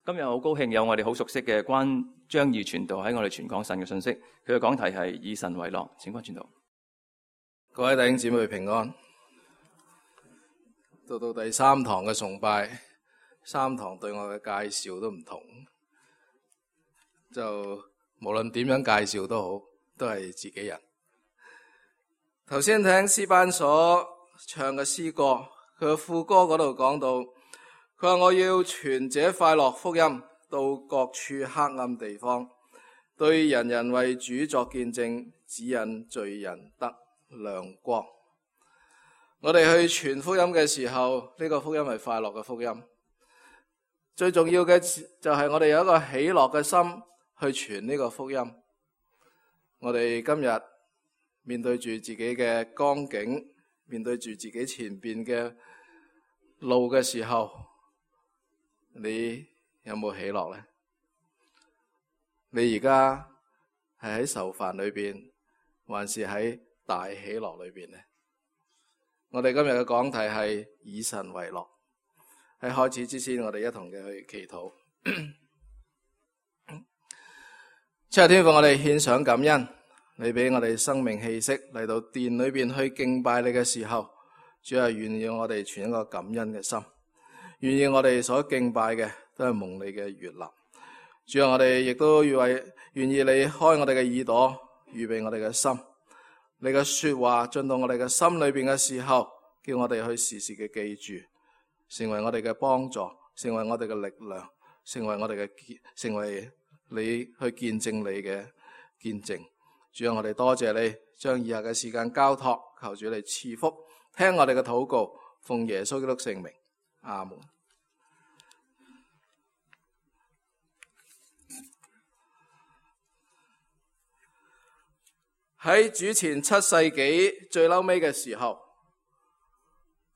今日好高興有我哋好熟悉嘅關張義傳道喺我哋傳講神嘅信息，佢嘅講題係以神為樂。請關傳道。各位弟兄姊妹平安。到第三堂嘅崇拜，三堂對我嘅介紹都唔同，就無論點樣介紹都好，都係自己人。頭先聽詩班所唱嘅詩歌，佢嘅副歌嗰度講到，佢話我要傳這快樂福音到各處黑暗地方，對人人為主作見證，指引罪人得亮光。我哋去傳福音嘅時候，呢個福音係快樂嘅福音。最重要嘅就係我哋有一個喜樂嘅心去傳呢個福音。我哋今日面對住自己嘅光景，面對住自己前邊嘅路嘅時候，你有冇喜樂呢？你而家係喺愁煩裏邊，還是喺大喜樂裏邊呢？我哋今日嘅講題係以神為樂。喺開始之前，我哋一同嘅去祈禱。七日天父，我哋獻上感恩，你俾我哋生命氣息嚟到殿裏邊去敬拜你嘅時候，主係願意我哋存一個感恩嘅心，願意我哋所敬拜嘅都係蒙你嘅悅納。主啊，我哋亦都願意你開我哋嘅耳朵，預備我哋嘅心，你嘅說話進到我哋嘅心裏邊嘅時候，叫我哋去時時嘅記住，成為我哋嘅幫助，成為我哋嘅力量，成為你去見證你嘅見證。主啊，我哋多謝你將以下嘅時間交託，求主你賜福，聽我哋嘅禱告，奉耶穌基督聖名，阿門。喺主前7世紀最嬲尾嘅時候，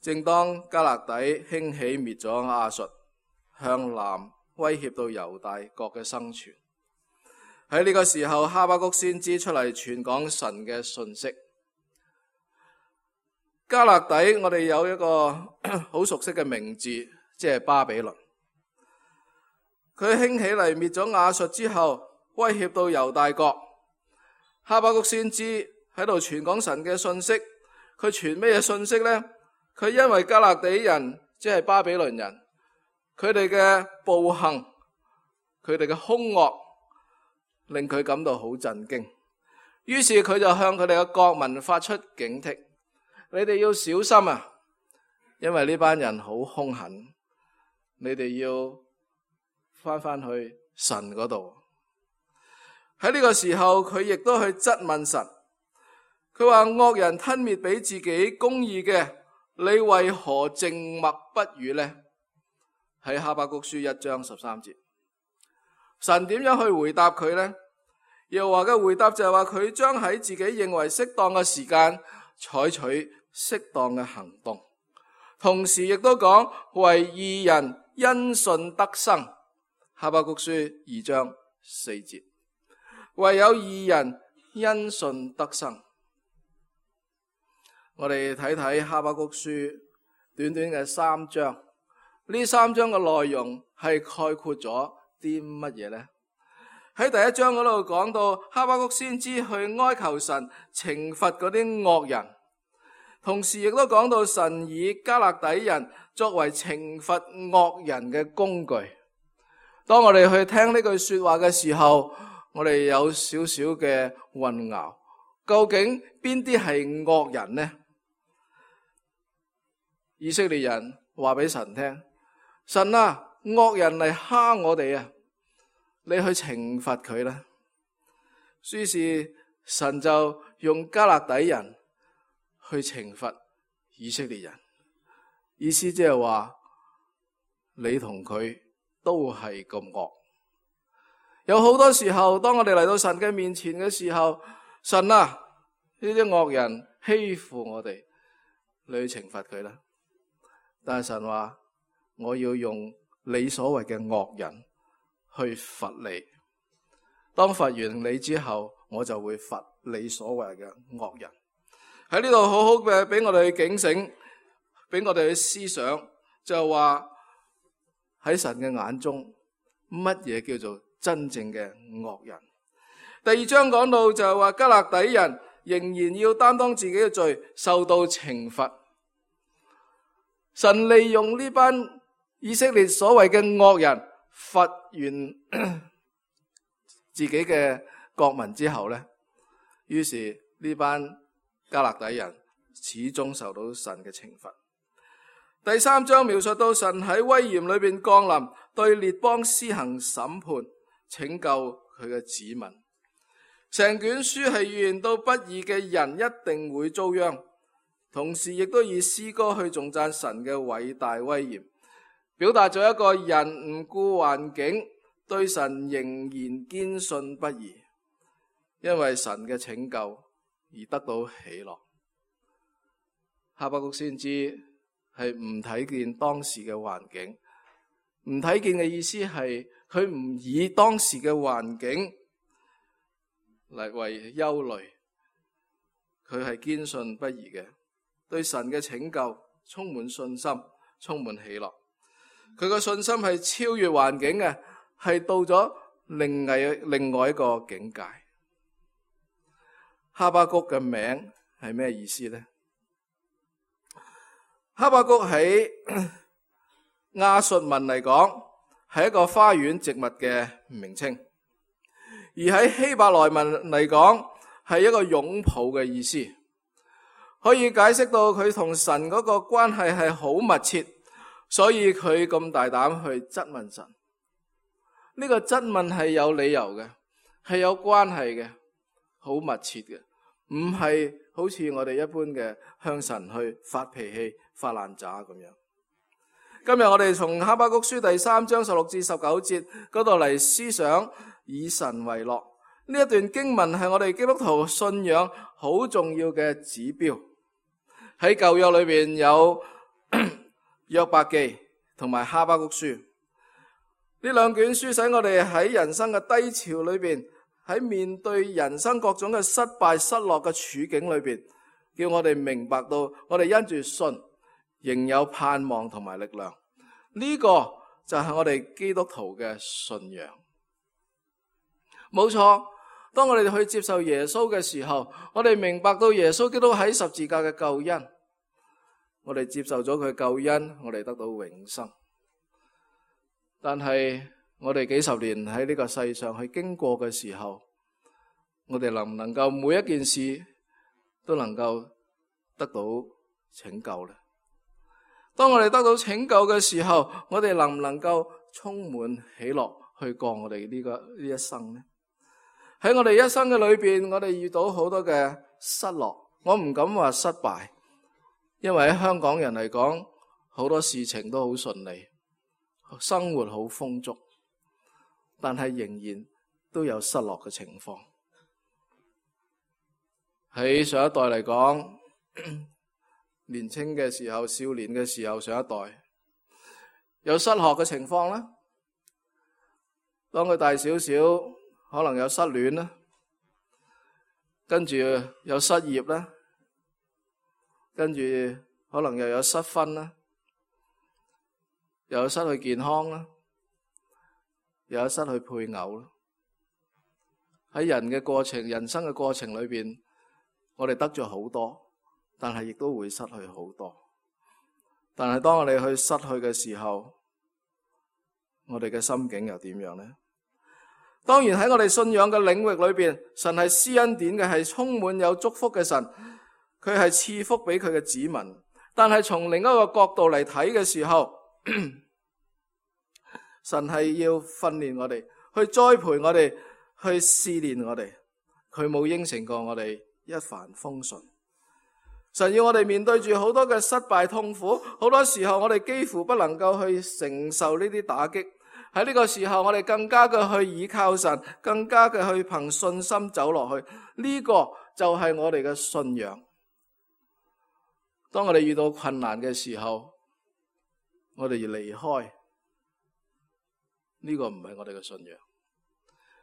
正當加勒底興起滅咗亞述，向南威脅到猶大國嘅生存。喺呢個時候，哈巴谷先知出嚟傳講神嘅信息。加勒底我哋有一個好熟悉嘅名字，即係巴比倫。佢興起嚟滅咗亞述之後，威脅到猶大國。哈巴谷先知喺度傳講神嘅信息。佢傳咩嘢信息呢？佢因為加勒底人即係巴比倫人，佢哋嘅暴行，佢哋嘅兇惡，令佢感到好震驚。於是佢就向佢哋嘅國民發出警惕：你哋要小心啊，因為呢班人好兇狠，你哋要翻去神嗰度。喺呢個時候，佢亦都去質問神。佢話：惡人吞滅俾自己公義嘅，你為何靜默不語呢？喺哈巴谷書1章13節，神點樣去回答佢呢？耶和華嘅回答就係話，佢將喺自己認為適當嘅時間採取適當嘅行動，同時亦都講為義人因信得生。哈巴谷書2章4節，唯有義人因信得生。我哋睇睇哈巴谷書短短嘅3章，呢3章嘅內容係概括咗啲乜嘢呢？喺第1章嗰度講到哈巴谷先知去哀求神懲罰嗰啲惡人，同時亦都講到神以加勒底人作為懲罰惡人嘅工具。當我哋去聽呢句說話嘅時候，我哋有少少嘅混淆，究竟邊啲係惡人呢？以色列人話俾神聽：神啊，惡人嚟蝦我哋啊，你去懲罰佢啦。於是神就用加勒底人去懲罰以色列人，意思即係話你同佢都係咁惡。有好多時候，當我哋嚟到神嘅面前嘅時候，神啊，呢啲惡人欺負我哋，你去懲罰佢啦。但係神話，我要用你所謂嘅惡人去罰你。當罰完你之後，我就會罰你所謂嘅惡人。喺呢度好好嘅俾我哋去警醒，俾我哋去思想，就係話喺神嘅眼中，乜嘢叫做真正嘅惡人。第2章講到就係話迦勒底人仍然要擔當自己嘅罪，受到懲罰。神利用呢班以色列所謂嘅惡人罰完自己嘅國民之後呢，於是呢班迦勒底人始終受到神嘅懲罰。第3章描述到神喺威嚴裏邊降臨，對列邦施行審判，拯救佢嘅子民。成卷書係預言到不義嘅人一定會遭殃，同時亦都以詩歌去頌讚神嘅偉大威嚴，表達咗一個人唔顧環境，對神仍然堅信不疑，因為神嘅拯救而得到喜樂。哈巴谷先知係唔睇見當時嘅環境，唔睇見嘅意思係佢唔以當時嘅環境嚟為憂慮，佢係堅信不疑嘅，對神嘅拯救充滿信心，充滿喜樂。佢個信心係超越環境嘅，係到咗另外一個境界。哈巴谷嘅名係咩意思呢？哈巴谷喺亞述文嚟講係一個花園植物嘅名稱，而喺希伯來文嚟講係一個擁抱嘅意思，可以解釋到佢同神嗰個關係係好密切，所以佢咁大膽去質問神。呢個質問係有理由嘅，係有關係嘅，好密切嘅，唔係好似我哋一般嘅向神去發脾氣、發爛渣咁樣。今日我哋從哈巴谷書第3章16至19節嗰度嚟思想以神為樂。呢一段經文係我哋基督徒信仰好重要嘅指標。喺舊約裏邊有約伯記同埋哈巴谷書，呢兩卷書使我哋喺人生嘅低潮裏邊，喺面對人生各種嘅失敗失落嘅處境裏邊，叫我哋明白到我哋因住信仍有盼望同埋力量。呢個就係我哋基督徒嘅信仰。冇錯，當我哋去接受耶穌嘅時候，我哋明白到耶穌基督喺十字架嘅救恩，我哋接受咗佢救恩，我哋得到永生。但係我哋幾十年喺呢個世上去經過嘅時候，我哋能唔能夠每一件事都能夠得到拯救呢？當我哋得到拯救嘅時候，我哋能唔能夠充滿喜樂去過我哋呢一生呢？喺我哋一生嘅裏邊，我哋遇到好多嘅失落，我唔敢話失敗，因為喺香港人嚟講，好多事情都好順利，生活好豐足，但係仍然都有失落嘅情況。喺上一代嚟講，年輕嘅時候、少年嘅時候，上一代有失學嘅情況啦。當佢大少少，可能有失戀啦，跟住有失業啦，跟住可能又有失婚啦，又有失去健康啦，又有失去配偶啦。喺人生嘅過程裏邊，我哋得咗好多，但係亦都會失去好多。但係當我哋去失去嘅時候，我哋嘅心境又點樣呢？當然喺我哋信仰嘅領域裏邊，神係施恩典嘅，係充滿有祝福嘅神，佢係賜福俾佢嘅子民。但係從另一個角度嚟睇嘅時候，神係要訓練我哋，去栽培我哋，去試煉我哋。佢冇應承過我哋一帆風順。神要我哋面對住好多嘅失敗痛苦，好多時候我哋幾乎不能夠去承受呢啲打擊。喺呢個時候，我哋更加嘅去倚靠神，更加嘅去憑信心走落去。呢個就係我哋嘅信仰。當我哋遇到困難嘅時候，我哋要離開，呢個唔係我哋嘅信仰。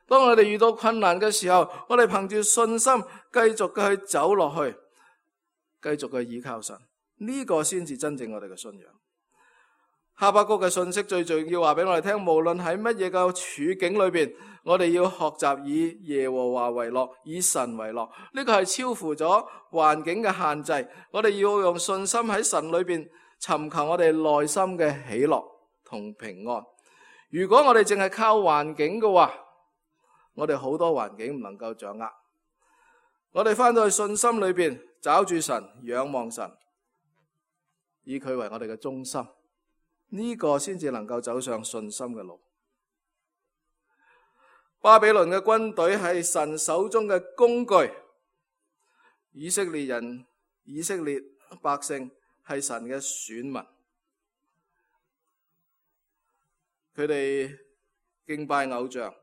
當我哋遇到困難嘅時候，我哋憑住信心繼續嘅去走落去，繼續嘅倚靠神，呢個先至真正我哋嘅信仰。哈巴谷嘅信息最重要話俾我哋聽，無論喺乜嘢嘅處境裏邊，我哋要學習以耶和華為樂，以神為樂。呢個係超乎咗環境嘅限制。我哋要用信心喺神裏邊尋求我哋內心嘅喜樂同平安。如果我哋淨係靠環境嘅話，我哋好多環境唔能夠掌握。我哋翻到去信心裏邊，找住神，仰望神，以佢為我哋嘅中心，呢個先至能夠走上信心嘅路。巴比倫嘅軍隊係神手中嘅工具，以色列百姓係神嘅選民，佢哋敬拜偶像，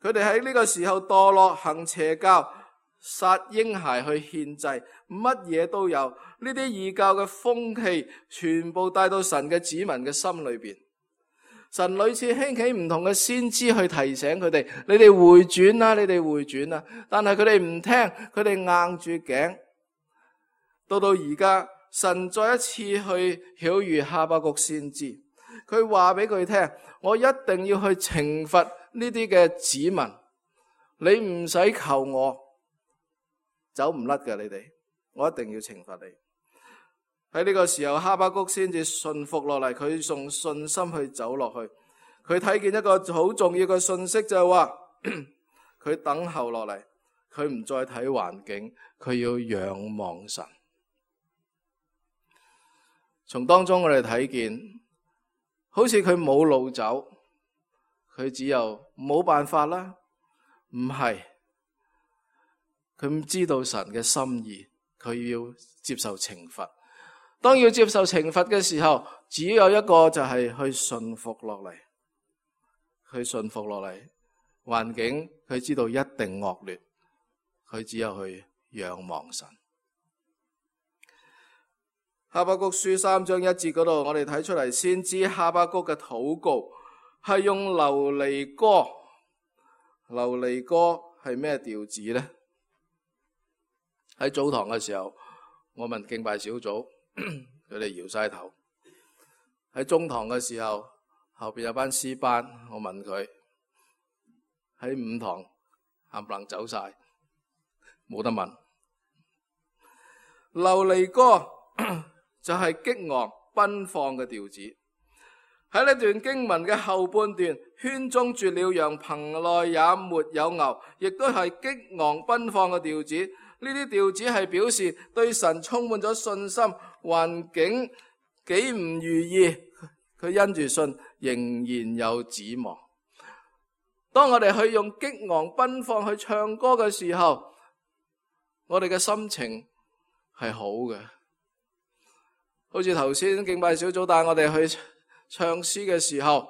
佢哋喺呢個時候墮落，行邪教，殺嬰孩去獻祭，乜嘢都有。呢啲異教嘅風氣全部帶到神嘅子民嘅心裏邊。神屢次興起唔同嘅先知去提醒佢哋，你哋回轉啦，你哋回轉啦。但係佢哋唔聽，佢哋硬住頸。到而家，神再一次去曉諭哈巴谷先知，佢話俾佢聽，我一定要去懲罰呢啲嘅子民，你唔使求我，走唔甩嘅你哋，我一定要懲罰你。喺呢個時候，哈巴谷先至順服落嚟，佢用信心去走落去。佢睇見一個好重要嘅信息，就係話佢等候落嚟，佢唔再睇環境，佢要仰望神。從當中我哋睇見，好似佢冇路走，佢只有冇辦法啦。唔係，佢唔知道神嘅心意，佢要接受懲罰。當要接受懲罰嘅時候，只有一個就係去順服落嚟，去順服落嚟。環境佢知道一定惡劣，佢只有去仰望神。哈巴谷書3章1節嗰度，我哋睇出嚟，先知哈巴谷嘅禱告係用流離歌。流離歌係咩調子呢？喺早堂嘅時候，我問敬拜小組，佢哋搖晒頭。喺中堂嘅時候，後邊有班詩班，我問佢，喺5堂冚唪唥走晒，冇得問。流離歌就係激昂奔放嘅調子。喺呢段經文嘅後半段，圈中絕了羊，棚內也沒有牛，亦都係激昂奔放嘅調子。呢啲調子係表示對神充滿咗信心，環境幾唔如意，佢因住信仍然有指望。當我哋去用激昂奔放去唱歌嘅時候，我哋嘅心情係好嘅。好似頭先敬拜小組帶我哋去唱詩嘅時候，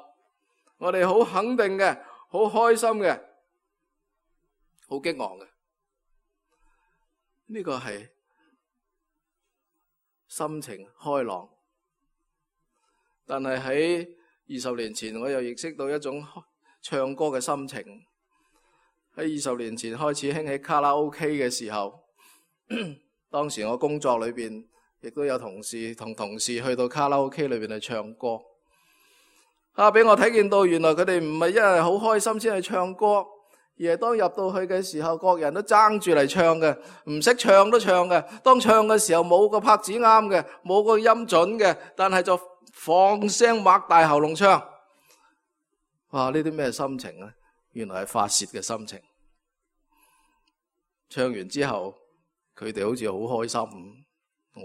我哋好肯定嘅，好開心嘅，好激昂嘅。呢個係心情開朗。但係喺20年前，我又認識到一種唱歌嘅心情。喺20年前開始興起卡拉 OK 嘅時候，當時我工作裏邊亦都有同事去到卡拉 OK 裏邊去唱歌。俾我睇見到，原來佢哋唔係因為好開心先去唱歌，而係當入到去嘅時候，各人都爭住嚟唱嘅，唔識唱都唱嘅。當唱嘅時候冇個拍子啱嘅，冇個音準嘅，但係就放聲擘大喉嚨唱。哇！呢啲咩心情呢？原來係發洩嘅心情。唱完之後，佢哋好似好開心，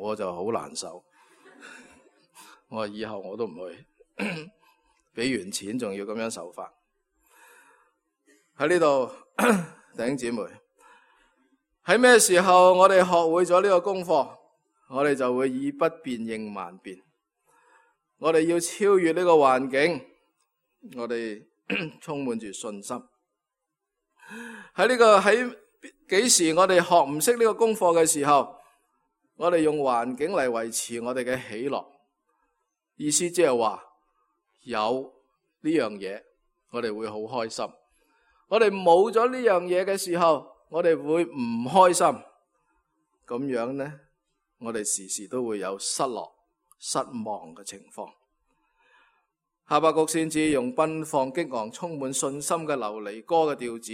我就好難受。我話以後我都唔去。俾完錢仲要咁樣受罰。喺呢度，弟兄姊妹，喺咩時候我哋學會咗呢個功課，我哋就會以不變應萬變。我哋要超越呢個環境，我哋充滿住信心。喺幾時我哋學唔識呢個功課嘅時候，我哋用環境嚟維持我哋嘅喜樂。意思即係話，有呢樣嘢，我哋會好開心。我哋冇咗呢樣嘢嘅時候，我哋會唔開心。咁樣呢，我哋時時都會有失落、失望嘅情況。哈巴谷先知用奔放激昂、充滿信心嘅流離歌嘅調子，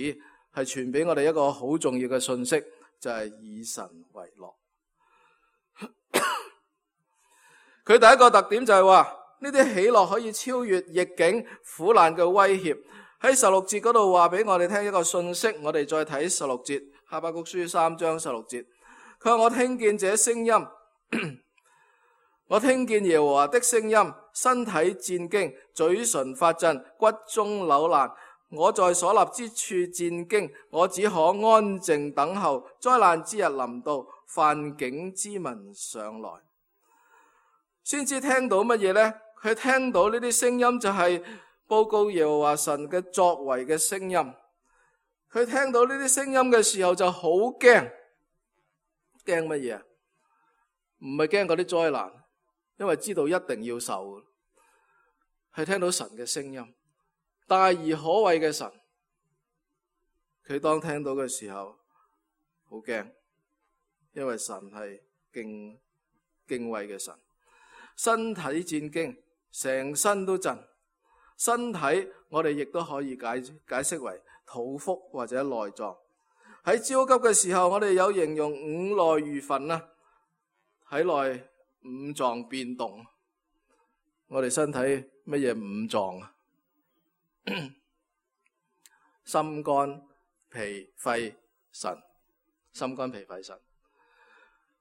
係傳俾我哋一個好重要嘅信息，就係以神為樂。佢第一個特點就係話，呢啲喜樂可以超越逆境苦難嘅威脅。喺16節嗰度話俾我哋聽一個信息，我哋再睇16節，哈巴谷書3章16節，佢話我聽見這聲音，我聽見耶和華的聲音，身體戰驚，嘴唇發震，骨中扭爛。我在所立之處戰驚，我只可安靜等候災難之日臨到，犯境之民上來。先知聽到乜嘢呢？佢聽到呢啲聲音就係報告耶和華神嘅作為嘅聲音。佢聽到呢啲聲音嘅時候就好驚，驚乜嘢啊？唔係驚嗰啲災難，因為知道一定要受，係聽到神嘅聲音，大而可畏嘅神。佢當聽到嘅時候好驚，因為神係敬畏嘅神，身體戰驚，成身都震。身體我哋亦都可以解釋為肚腹或者內臟。喺焦急嘅時候，我哋有形容五內如焚啊，體內五臟變動。我哋身體乜嘢五臟啊？心肝脾肺腎，心肝脾肺腎。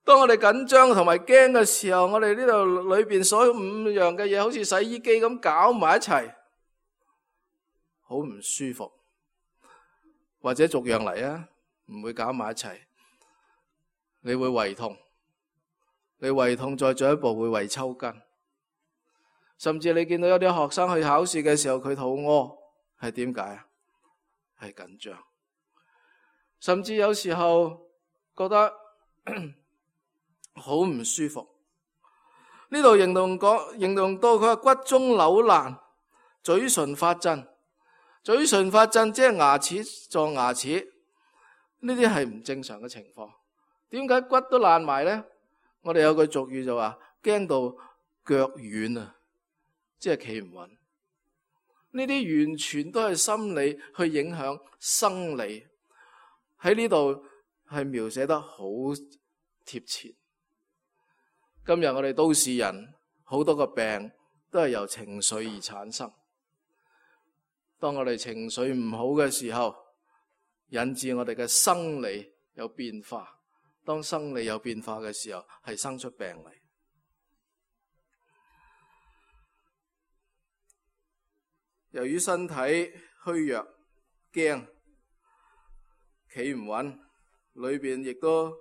當我哋緊張同埋驚嘅時候，我哋呢度裏邊所有五樣嘅嘢，好似洗衣機咁搞埋一齊，好唔舒服。或者逐樣嚟啊，唔會搞埋一齊。你會胃痛，你胃痛再進一步會胃抽筋，甚至你見到有啲學生去考試嘅時候，佢肚屙，係點解啊？係緊張。甚至有時候覺得好唔舒服。呢度形容到佢話骨中扭爛，嘴唇發震。嘴唇發震即係牙齒撞牙齒，呢啲係唔正常嘅情況。點解骨都爛埋呢？我哋有句俗語就話驚到腳軟啊，即係企唔穩。呢啲完全都係心理去影響生理。喺呢度係描寫得好貼切。今日我哋都市人好多個病都係由情緒而產生。當我哋情緒唔好嘅時候，引致我哋嘅生理有變化。當生理有變化嘅時候，係生出病嚟。由於身體虛弱、驚、企唔穩，裏邊亦都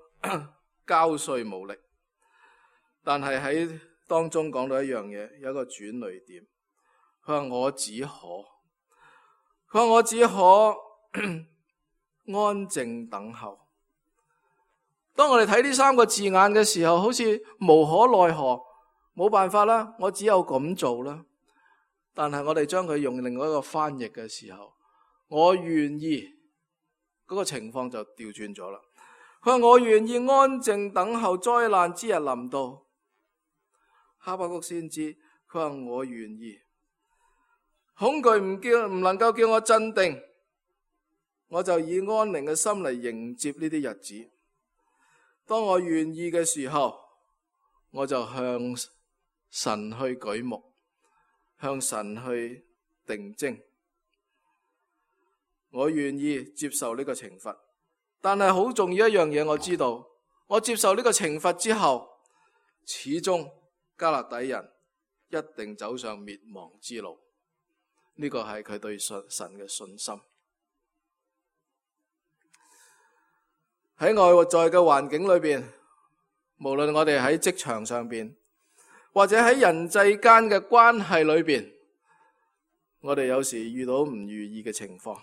交瘁無力。但係喺當中講到一樣嘢，有一個轉捩點。佢話我只可安靜等候。當我哋睇呢三個字眼嘅時候，好似無可奈何，冇辦法啦，我只有咁做啦。但係我哋將佢用另外一個翻譯嘅時候，我願意，嗰個情況就調轉咗啦。佢話我願意安靜等候災難之日臨到。哈巴谷先知，佢話我願意。恐懼唔能夠叫我鎮定，我就以安寧嘅心嚟迎接呢啲日子。當我願意嘅時候，我就向神去舉目，向神去定睛。我願意接受呢個懲罰，但係好重要一樣嘢，我知道，我接受呢個懲罰之後，始終迦勒底人一定走上滅亡之路。呢個係佢對神嘅信心。喺外在嘅環境裏邊，無論我哋喺職場上邊，或者喺人際間嘅關係裏邊，我哋有時遇到唔如意嘅情況。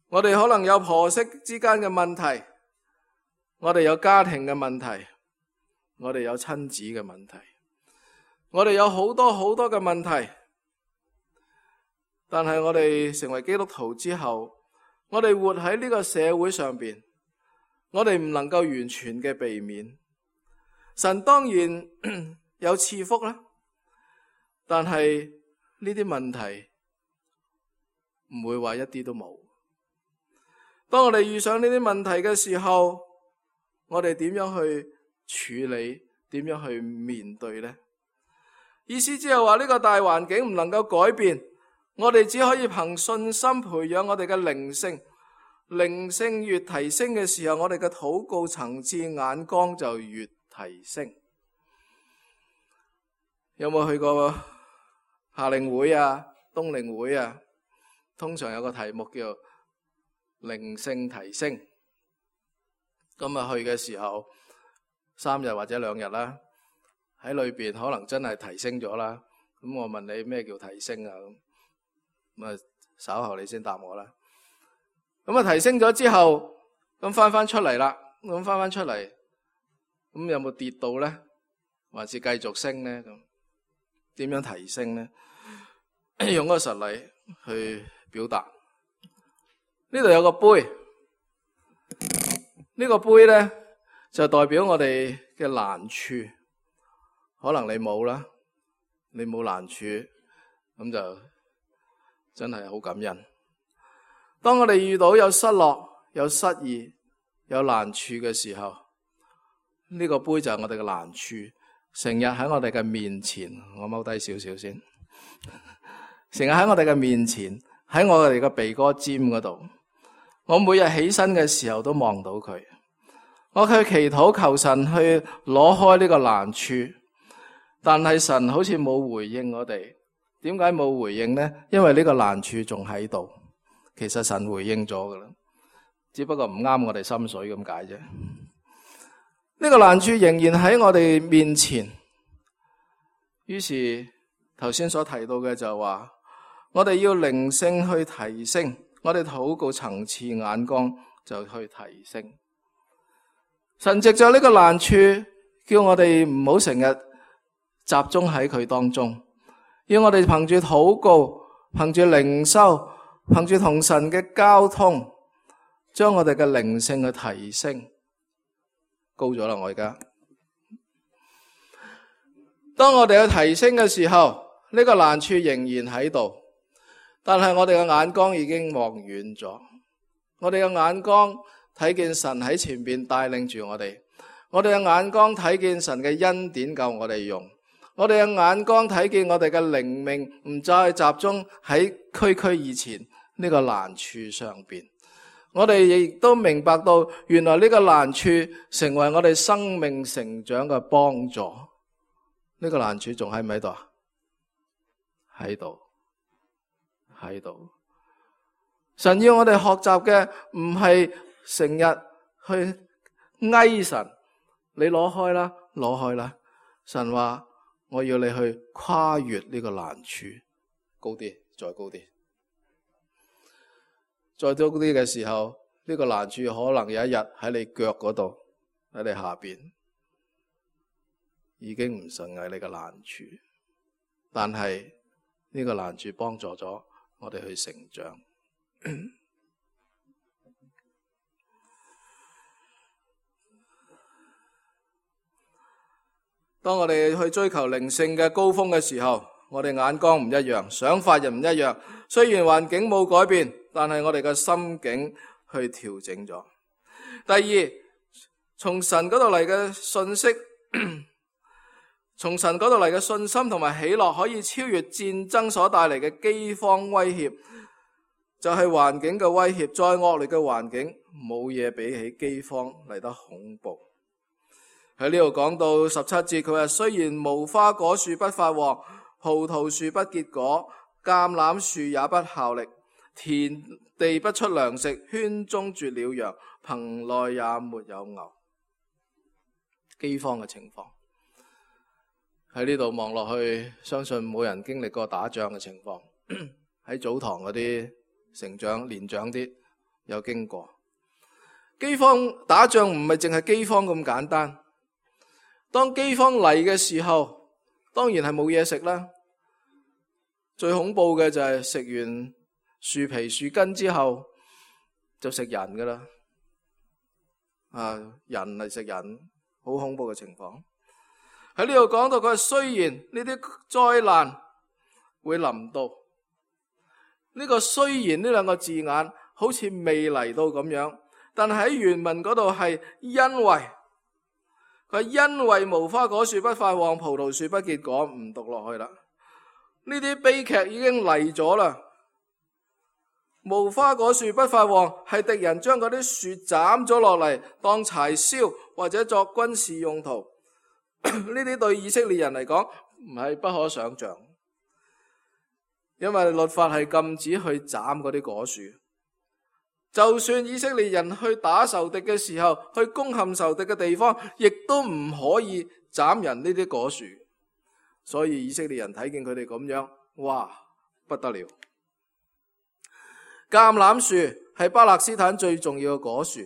我哋可能有婆媳之間嘅問題，我哋有家庭嘅問題，我哋有親子嘅問題，我哋有好多好多嘅問題。但係我哋成為基督徒之後，我哋活喺呢個社會上邊，我哋唔能夠完全嘅避免。神當然有賜福啦，但係呢啲問題唔會話一啲都冇。當我哋遇上呢啲問題嘅時候，我哋點樣去處理？點樣去面對呢？意思即係話呢個大環境唔能夠改變，我哋只可以憑信心培養我哋嘅靈性。靈性越提升嘅時候，我哋嘅禱告層次眼光就越提升。有冇去過夏令會啊、冬令會啊？通常有個題目叫靈性提升。咁啊去嘅時候3日或者2日啦，喺裏邊可能真係提升咗啦。咁我問你咩叫提升啊？咁啊稍後你先答我啦。咁啊提升咗之後，咁翻出嚟啦。咁翻出嚟，咁有冇跌到呢？還是繼續升呢？咁點樣提升呢？用個實例去表達。呢度有個杯，呢個杯呢，就代表我哋嘅難處。可能你冇啦，你冇難處，咁就真係好感恩。當我哋遇到有失落、有失意、有難處嘅時候，呢個杯就係我哋嘅難處，成日喺我哋嘅面前。我踎低少少先，成日喺我哋嘅面前，喺我哋嘅鼻哥尖嗰度。我每日起身嘅時候都望到佢，我去祈禱求神去攞開呢個難處，但係神好似冇回應我哋。點解冇回應呢？因為呢個難處仲喺度。其實神回應咗噶啦，只不過唔啱我哋心水咁解啫。呢個難處仍然喺我哋面前。於是頭先所提到嘅就係話，我哋要靈性去提升，我哋禱告層次眼光就去提升。神藉着呢個難處，叫我哋唔好成日集中喺佢當中，要我哋憑住禱告，憑住靈修，憑住同神嘅交通，將我哋嘅靈性去提升。高咗啦，我而家。當我哋去提升嘅時候，呢個難處仍然喺度，但係我哋嘅眼光已經望遠咗。我哋嘅眼光睇見神喺前邊帶領住我哋，我哋嘅眼光睇見神嘅恩典夠我哋用，我哋嘅眼光睇見我哋嘅靈命唔再集中喺區以前呢個難處上邊。我哋亦都明白到，原來呢個難處成為我哋生命成長嘅幫助。呢個難處仲喺唔喺度啊？喺度，喺度。神要我哋學習嘅唔係成日去哀神，你攞開啦，攞開啦。神話我要你去跨越呢個難處，高啲，再高啲。再高啲嘅時候，呢個難處可能有一日喺你腳嗰度，喺你下邊，已經唔成為你嘅難處。但係呢個難處幫助咗我哋去成長。當我哋去追求靈性嘅高峰嘅時候，我哋眼光唔一樣，想法又唔一樣。雖然環境冇改變，但係我哋嘅心境去調整咗。第二，從神嗰度嚟嘅信息，從神嗰度嚟嘅信心同埋喜樂，可以超越戰爭所帶嚟嘅饑荒威脅。就係環境嘅威脅，再惡劣嘅環境，冇嘢比起饑荒嚟得恐怖。喺呢度講到17節，佢話雖然無花果樹不發黃，葡萄樹不結果，橄欖樹也不效力，田地不出糧食，圈中絕了羊，棚內也沒有牛。饑荒嘅情況喺呢度望落去，相信冇人經歷過打仗嘅情況。喺早堂嗰啲成長年長啲有經過饑荒。打仗唔係淨係饑荒咁簡單。當饑荒嚟嘅時候，當然係冇嘢食啦。最恐怖嘅就係食完樹皮樹根之後就食人噶啦。人嚟食人，好恐怖嘅情況。喺呢度講到佢，雖然呢啲災難會臨到。呢個雖然呢兩個字眼好似未嚟到咁樣，但係喺原文嗰度係因為，佢因為無花果樹不發旺，葡萄樹不結果，唔讀落去啦。呢啲悲劇已經嚟咗啦。無花果樹不發旺，係敵人將嗰啲樹斬咗落嚟當柴燒或者作軍事用途。呢啲對以色列人嚟講唔係不可想象，因為律法係禁止去斬嗰啲果樹。就算以色列人去打仇敵嘅時候，去攻陷仇敵嘅地方，亦都唔可以斬人呢啲果樹。所以以色列人睇見佢哋咁樣，哇，不得了！橄欖樹係巴勒斯坦最重要嘅果樹，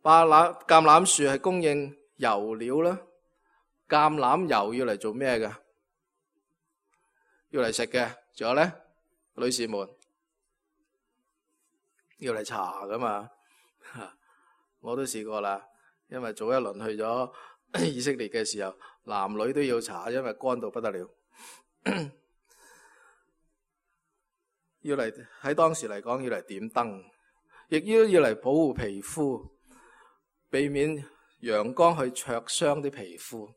橄欖樹係供應油料啦。橄欖油要嚟做咩嘅？要嚟食嘅。仲有呢，女士們，要嚟搽噶嘛？我都試過啦，因為早一輪去咗以色列嘅時候，男女都要搽，因為乾到不得了。要嚟喺當時嚟講，要嚟點燈，亦要嚟保護皮膚，避免陽光去灼傷啲皮膚。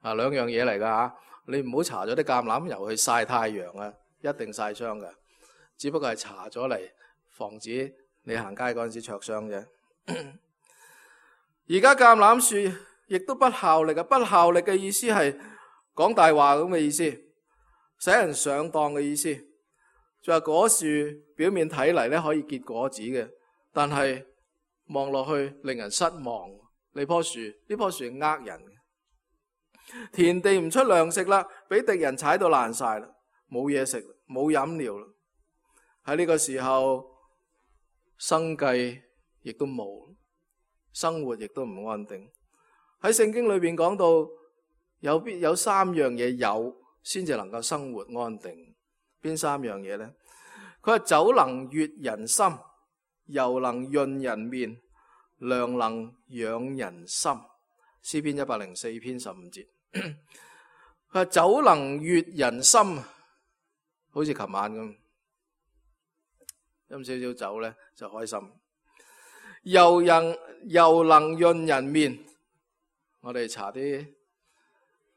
兩樣嘢嚟噶吓，你唔好搽咗啲橄欖油去曬太陽啊，一定曬傷噶。只不過係搽咗嚟防止你行街嗰陣時灼傷啫。而家橄欖樹亦都不效力啊！不效力嘅意思係講大話咁嘅意思，使人上當嘅意思。就話果樹表面睇嚟咧可以結果子嘅，但係望落去令人失望。呢棵樹係呃人嘅。田地唔出糧食啦，俾敵人踩到爛晒啦，冇嘢食，冇飲料啦。喺呢個時候，生計亦都冇，生活亦都唔安定。喺聖經裏邊講到，有三樣嘢有先至能夠生活安定。邊三樣嘢呢？佢話酒能悅人心，油能潤人面，糧能養人心。詩篇104篇15節。佢話酒能悅人心，好似琴晚咁，飲少少酒呢就開心。油能潤人面，我哋搽啲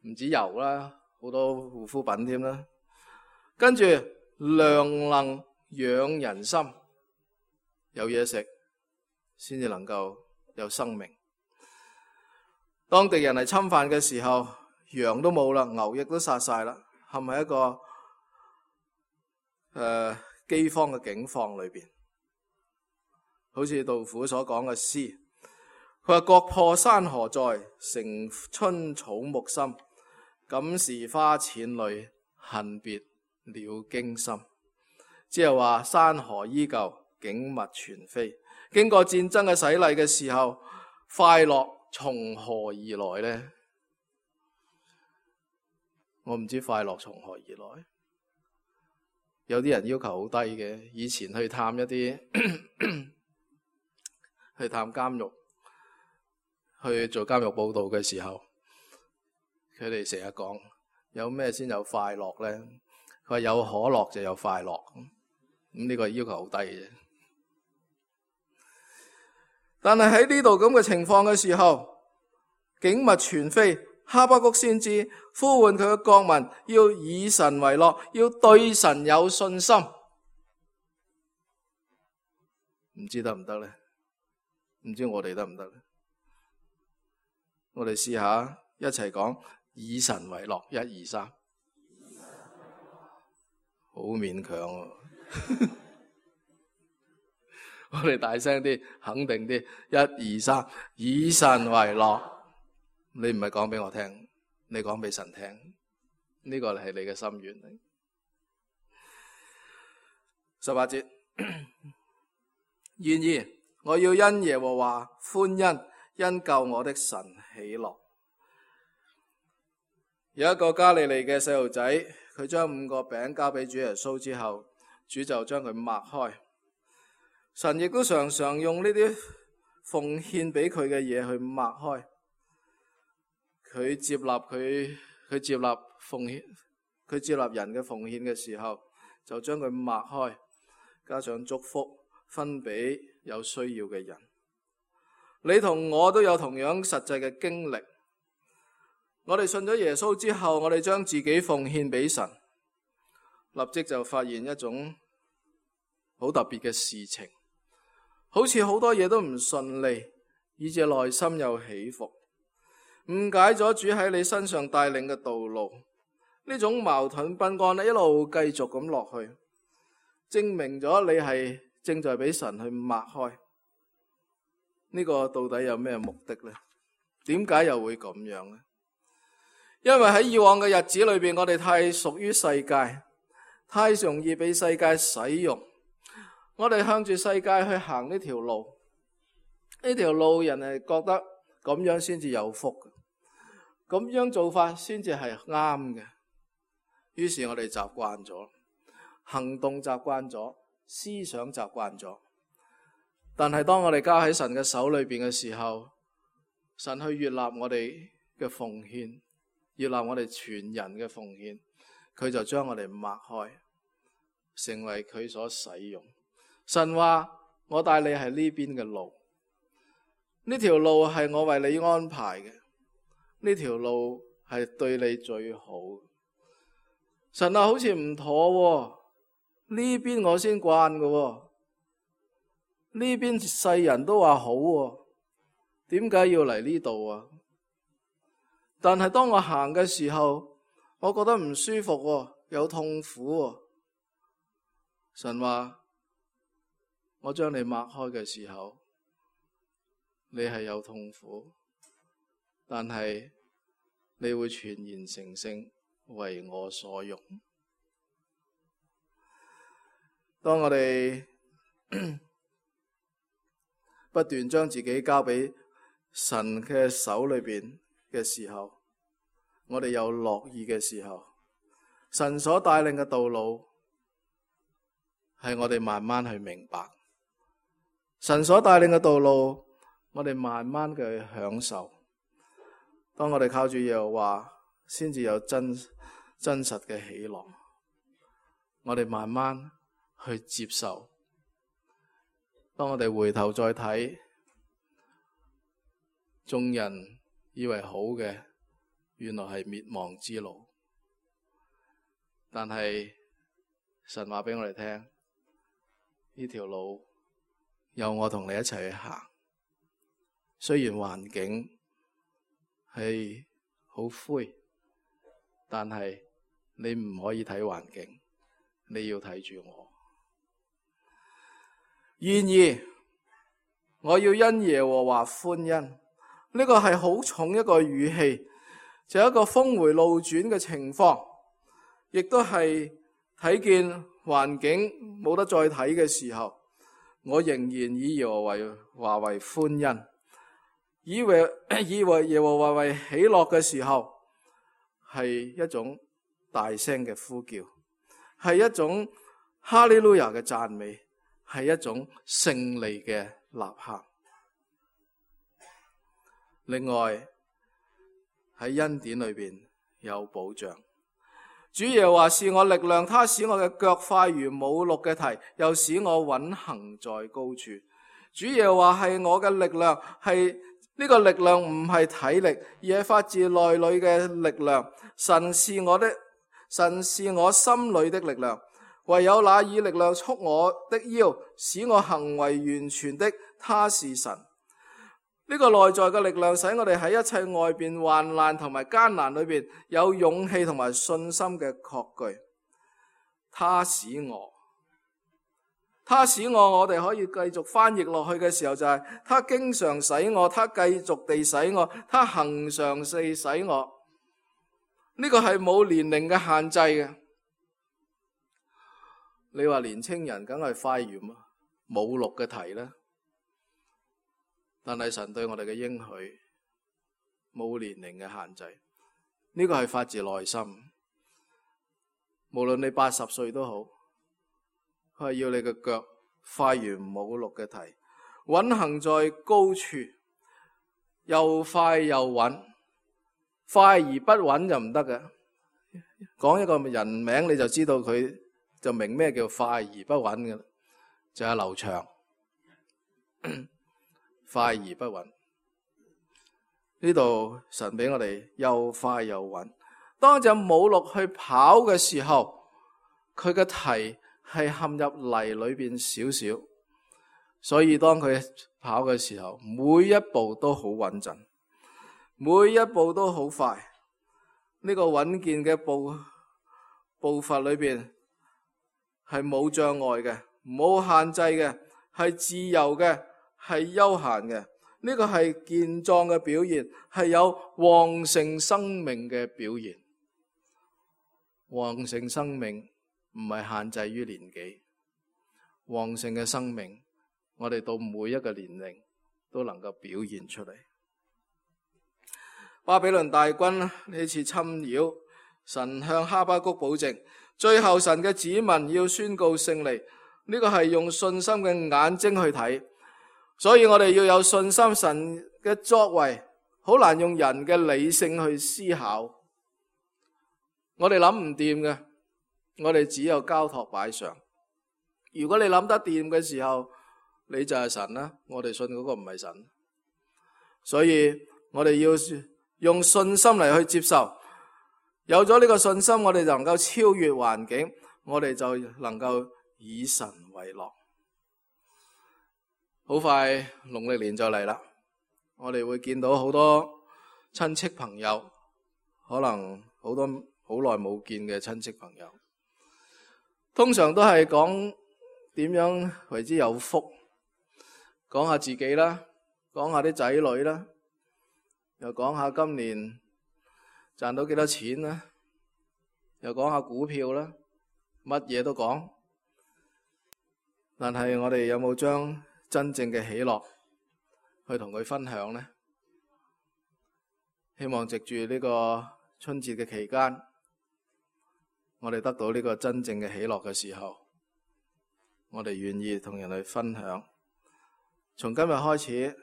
唔止油啦，好多護膚品添啦。跟住糧能養人心，有嘢食先至能夠有生命。當敵人嚟侵犯嘅時候，羊都冇啦，牛亦都殺晒啦，係咪一個饑荒嘅境況裏邊？好似杜甫所講嘅詩，佢話國破山河在，城春草木深。感時花濺淚，恨別鳥驚心。即係話山河依舊，景物全非。經過戰爭嘅洗禮嘅時候，快樂從何而來呢？我唔知快樂從何而來。有啲人要求好低嘅，以前去探一啲去探監獄，去做監獄報道嘅時候，佢哋成日講有咩先有快樂呢？佢話有可樂就有快樂。咁呢個要求好低嘅。但係喺呢度咁嘅情況嘅時候，景物全非。哈巴谷先知呼喚佢嘅國民要以神為樂，要對神有信心。唔知得唔得呢？唔知我哋得唔得呢？我哋試下一齊講以神為樂，1、2、3，好勉強啊！我哋大聲啲，肯定啲，1、2、3，以神為樂。你唔係講俾我聽，你講俾神聽，呢個係你嘅心願。18節，然而我要因耶和華歡欣，因救我的神喜樂。有一個加利利嘅細路仔，佢將5個餅交俾主耶穌之後，主就將佢擘開。神亦都常常用呢啲奉獻俾佢嘅嘢去擘開。佢接納奉獻，佢接納人嘅奉獻嘅時候，就將佢擘開，加上祝福，分俾有需要嘅人。你同我都有同樣實際嘅經歷。我哋信咗耶穌之後，我哋將自己奉獻俾神，立即就發現一種好特別嘅事情，好似好多嘢都唔順利，以致內心有起伏，誤解咗主喺你身上帶領嘅道路。呢種矛盾不安一路繼續咁落去，證明咗你係正在俾神去擘開。呢個到底有咩目的呢？點解又會咁樣呢？因為喺以往嘅日子裏邊，我哋太屬於世界，太容易被世界使用。我哋向住世界去行呢條路，呢條路人係覺得咁樣先至有福，咁樣做法先至係啱嘅。於是我哋習慣咗，行動習慣咗，思想習慣咗。但係當我哋交喺神嘅手裏邊嘅時候，神去悅納我哋嘅奉獻，悅納我哋全人嘅奉獻，佢就將我哋擘開，成為佢所使用。神話我帶你係呢邊嘅路，呢條路係我為你安排嘅，呢條路係對你最好。神啊，好似唔妥喎，呢邊我先慣嘅喎，呢邊世人都話好喎，點解要嚟呢度啊？但係當我行嘅時候，我覺得唔舒服喎，有痛苦喎。神話我將你擘開嘅時候，你係有痛苦，但係你會全然成聖，為我所用。當我哋不斷將自己交俾神嘅手裏邊嘅時候，我哋有樂意嘅時候，神所帶領嘅道路係我哋慢慢去明白，神所帶領嘅道路我哋慢慢嘅去享受。當我哋靠住耶和華，先至有真實嘅喜樂。我哋慢慢去接受。當我哋回頭再睇，眾人以為好嘅，原來係滅亡之路。但係神話俾我哋聽，呢條路有我同你一齊去行。雖然環境係好灰，但係你唔可以睇環境，你要睇住我。然而我要因耶和華歡欣，呢個係好重一個語氣，就係一個峰回路轉嘅情況，亦都係睇見環境冇得再睇嘅時候，我仍然以耶和華為歡欣，以為耶和華為喜樂嘅時候，係一種大聲嘅呼叫，係一種哈利路亞嘅讚美，係一種勝利嘅吶喊。另外喺恩典裏邊有保障，主耶和華是我力量，他使我嘅腳快如母鹿嘅蹄，又使我穩行在高處。主耶和華係我嘅力量，係呢個力量唔係體力，而係發自內裏嘅力量。神是我心裏的力量，唯有那以力量束我的腰，使我行為完全的，他是神。呢個內在嘅力量使我哋喺一切外邊患難同埋艱難裏邊有勇氣同埋信心嘅確據。他使我，我哋可以繼續翻譯落去嘅時候就係他經常使我，他繼續地使我，他恒常地使我。呢個係冇年齡嘅限制嘅。你話年青人梗係快如母鹿嘅蹄啦，但係神對我哋嘅應許冇年齡嘅限制，呢個係發自內心。無論你80歲都好，佢係要你嘅腳快如母鹿嘅蹄，穩行在高處，又快又穩。快而不穩就唔得嘅，講一個人名你就知道佢就明咩叫快而不穩嘅，就係劉翔。快而不穩，呢度神俾我哋又快又穩。當隻母鹿去跑嘅時候，佢嘅蹄係陷入泥裏邊少少，所以當佢跑嘅時候，每一步都好穩陣，每一步都好快。呢個穩健嘅步伐裏邊係冇障礙嘅，冇限制嘅，係自由嘅，係休閒嘅。呢個係健壯嘅表現，係有旺盛生命嘅表現。旺盛生命唔係限制於年紀，旺盛嘅生命，我哋到每一個年齡都能夠表現出嚟。巴比倫大軍呢次侵擾，神向哈巴谷保證，最後神嘅子民要宣告勝利。呢個係用信心嘅眼睛去睇，所以我哋要有信心，神嘅作為好難用人嘅理性去思考。我哋諗唔掂嘅，我哋只有交託擺上。如果你諗得掂嘅時候，你就係神啦。我哋信嗰個唔係神，所以我哋要用信心嚟去接受。有咗呢個信心，我哋就能夠超越環境，我哋就能夠以神為樂。好快農曆年就嚟啦，我哋會見到好多親戚朋友，可能好多好耐冇見嘅親戚朋友，通常都係講點樣為之有福，講下自己啦，講下啲仔女啦，又講下今年賺到幾多錢啦，又講下股票啦，乜嘢都講。但係我哋有冇將真正嘅喜樂去同佢分享呢？希望藉住呢個春節嘅期間，我哋得到呢個真正嘅喜樂嘅時候，我哋願意同人去分享。從今日開始，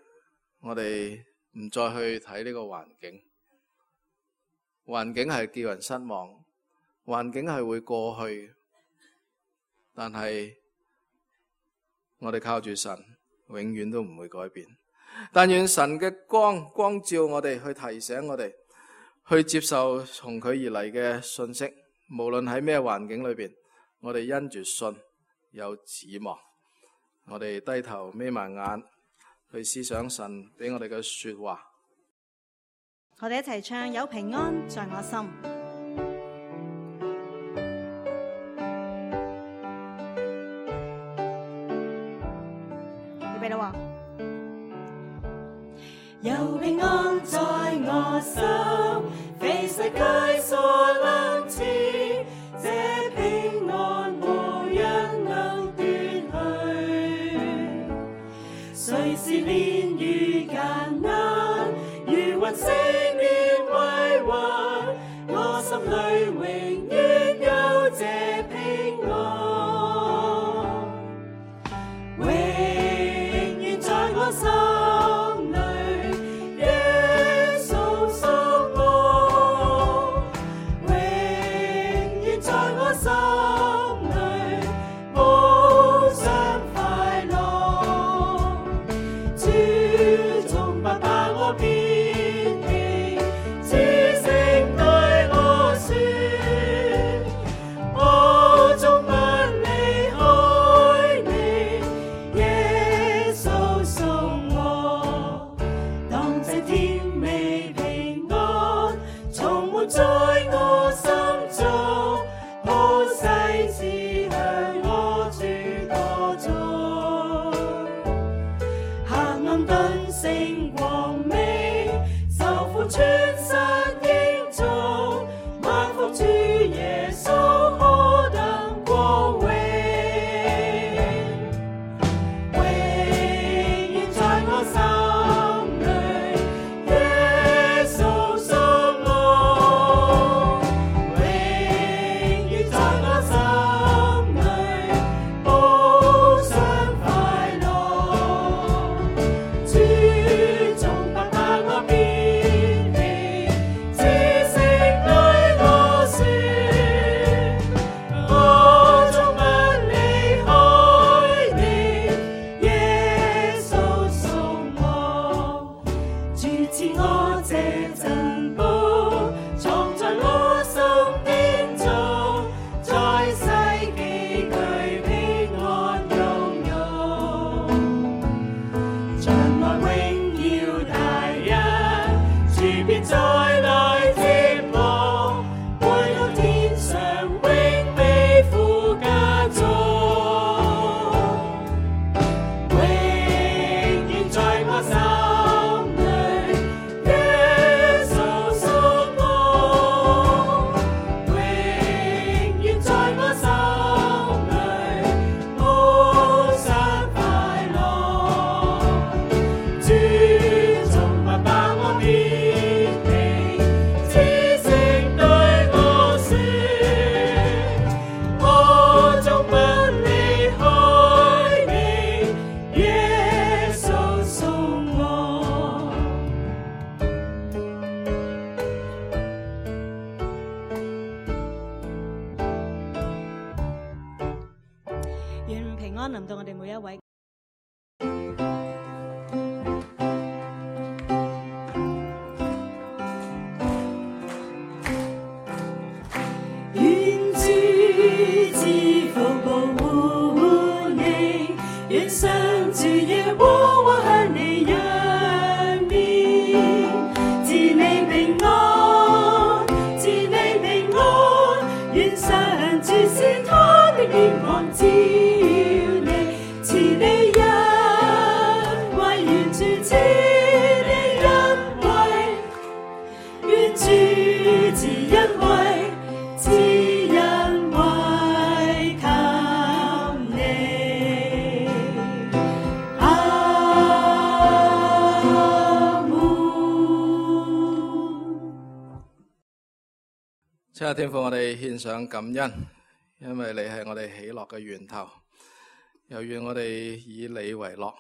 我哋唔再去睇呢個環境，環境係叫人失望，環境係會過去，但係我哋靠住神，永遠都唔會改變。但願神嘅光照我哋，去提醒我哋，去接受從佢而嚟嘅信息。無論喺咩環境裏邊，我哋因住信有指望。我哋低頭眯埋眼，去思想神俾我哋嘅說話。我哋一齊唱，有平安在我心。預備啦！有平安在我心，非世界所能賜，這平安無人能奪去。雖是年與艱難，如雲升於歸還，我心裡永遠有這平安，永遠在我心。主從不把我撇棄。安臨到我哋每一位。願主賜福保護你，願上主耶和華向你揚面，賜你平安，賜你平安，願上主使他的臉光照你，賜你恩惠，願主賜你恩惠，願主賜恩惠，賜恩惠給你。阿門。親愛天父，我哋獻上感恩，因為你係我哋喜樂嘅源頭。又願我哋以你為樂，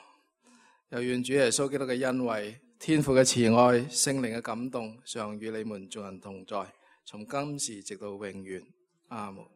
又願主耶穌基督嘅恩惠、天父嘅慈愛、聖靈嘅感動，常與你們眾人同在，從今時直到永遠。阿門。